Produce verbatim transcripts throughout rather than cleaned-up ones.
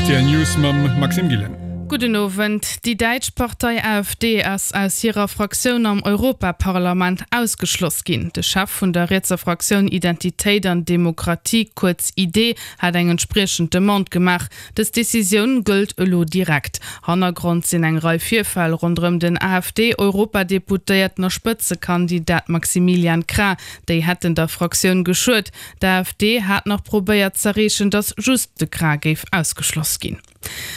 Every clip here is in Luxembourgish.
R T L News mam Maxime Gillen. Gudden Owend. Déi däitsch Partei A F D ass aus hirer Fraktioun am Europaparlament ausgeschloss ginn. De Chef vun der rietser Fraktioun Identitéit an Demokratie, kuerz I D, hat eng entspriechend Demande gemaach. Dës Decisioun gëllt elo direkt. Hannergrond sinn eng Rei Virfäll ronderëm den A F D-Europadeputéierten a Spëtzekandidat Maximilian Krah, déi hätten der Fraktioun geschuet. D'A F D hat nach probéiert z'erreechen, datt just de Krah géif ausgeschloss ginn.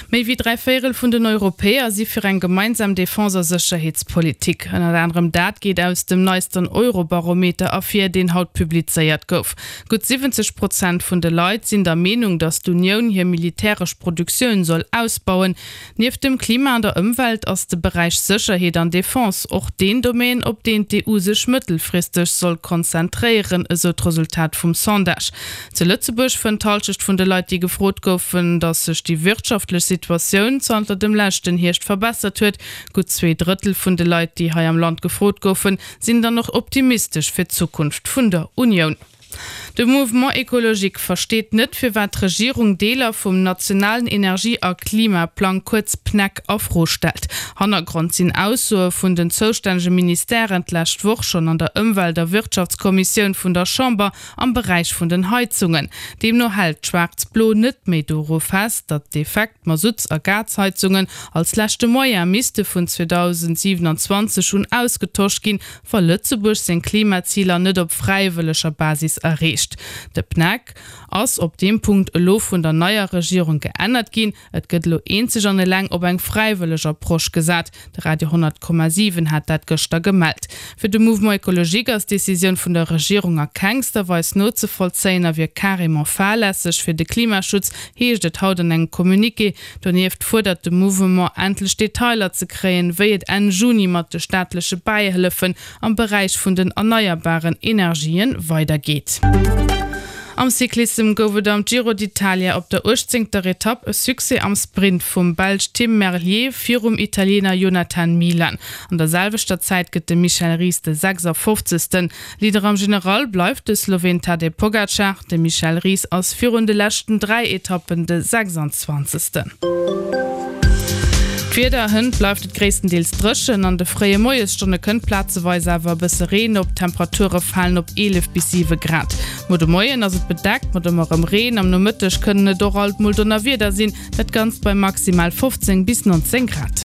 Méi wéi dräi Véierel vun den Europäer si fir eng gemeinsam Defense a Sécherheetspolitik. Ënnert anerem dat geet aus dem neisten Eurobarometer ervir, deen haut publizéiert gouf. Gutt siwwenzeg Prozent vun de Leit sinn der Meenung, datt d'Unioun hir militäresch Produktioun soll ausbauen. Nieft dem Klima an der Ëmwelt ass de Beräich Sécherheet an Defense och deen Domaine, op deen d'E U sech mëttelfristeg soll konzentréieren, esou d'Resultat vum Sondage. Zu Lëtzebuerg fënnt d'Hallschecht vun de Leit, déi gefrot goufen, datt sech déi wirtschaftlech Situatioun zanter dem leschten Hierscht verbessert huet. Gutt zwee Drëttel vun de Leit, déi hei am Land gefrot goufen, sinn dann och optimistesch fir d'Zukunft vun der Unioun. De Mouvement Ecologique versteet net, firwat d'Regierung Deeler vum nationalen Energie a Klimaplang, kuerz PNEC, a Fro stellt. Hannergrond sinn Aussoe vun den zoustännege Ministèren d'lescht Woch schonn an der Ëmwelt a Wirtschaftskommissioun vun der Chamber am Beräich vun den Heizungen. Deemno hält Schwaarz-Blo net méi doru fest, datt defekt Masutts a Gasheizungen als leschte Moyen misste vun zweedausendsiewenanzwanzeg un ausgetosch ginn, wa Lëtzebuerg seng Klimaziler net op fräiwëlleger Basis erreecht. De PNEC ass op deem Punkt elo vun der neier Regierung geännert ginn, et gëtt elo eenzeg an eleng op eng fräiwëlleg Approche gesat. De Radio honnert Komma siwen hat dat gëschter gemellt. Fir de Mouvement Ecologique ass d'Decisioun vun der Regierung a kengster Weis nozevollzéien a wier carrément fahrlässeg fir de Klimaschutz, heescht et haut an engem Communiqué. Donieft fuerdert de Mouvement, endlech Detailer ze kréien, wéi et Enn Juni mat de staatleche Bäihëllefen am Beräich vun den erneierbaren Energien weidergeet. Am Cyclissem gouf et am Giro d'Italia op der uechtzéngter Etapp e Succès am Sprint vum Belsch Tim Merlier virum Italiener Jonathan Milan. An der selwechter Zäit gëtt de Michel Ries de sechsafofzegsten. Leader am General bleift de Sloween Tadej Pogacar, de Michel Ries ass virun de leschten dräi Etappen de sechsanzwanzegsten. D'Wieder, Hënt bleift et gréisstendeels dréchen, an de fréie Moiesstonne kënnt plazeweis awer e bësse Reen op. D'Temperature falen op eelef bis siwe Grad. Muer de Moien ass et bedeckt mat ëmmer erëm Reen, am Nomëtteg kënnen et och alt mol Donnerwieder sinn, dat Ganzt bei maximal fofzéng bis nonzéng Grad.